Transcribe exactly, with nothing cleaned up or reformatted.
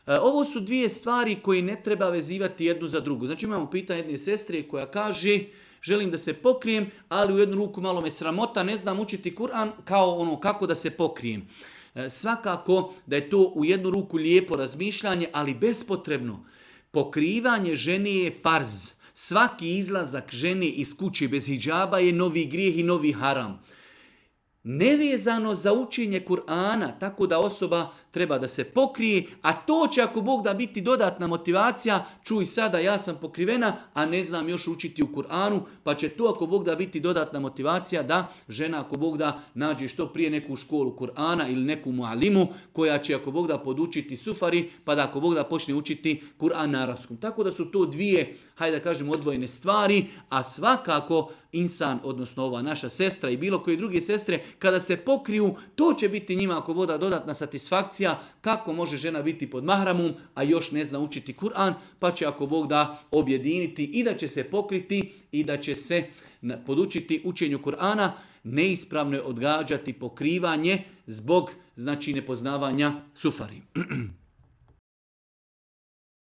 Ovo su dvije stvari koje ne treba vezivati jednu za drugu. Znači imamo pitanje jedne sestre koja kaže želim da se pokrijem, ali u jednu ruku malo me sramota, ne znam učiti Kur'an, kao ono kako da se pokrijem. Svakako da je to u jednu ruku lijepo razmišljanje, ali bespotrebno. Pokrivanje žene je farz. Svaki izlazak žene iz kuće bez hidžaba je novi grijeh i novi haram. Nevezano za učenje Kur'ana, tako da osoba treba da se pokrije, a to će ako Bog da biti dodatna motivacija, čuj sada ja sam pokrivena, a ne znam još učiti u Kur'anu, pa će to ako Bog da biti dodatna motivacija da žena ako Bog da nađe što prije neku školu Kur'ana ili neku mualimu koja će ako Bog da podučiti sufari, pa da ako Bog da počne učiti Kur'an na arapskom. Tako da su to dvije, hajde da kažem, odvojene stvari, a svakako insan, odnosno ova naša sestra i bilo koje druge sestre, kada se pokriju, to će biti njima ako Bog da dodatna satisfakcija kako može žena biti pod mahramom, a još ne zna učiti Kur'an, pa će ako Bog da objediniti i da će se pokriti i da će se podučiti učenju Kur'ana. Neispravno je odgađati pokrivanje zbog znači nepoznavanja sufari.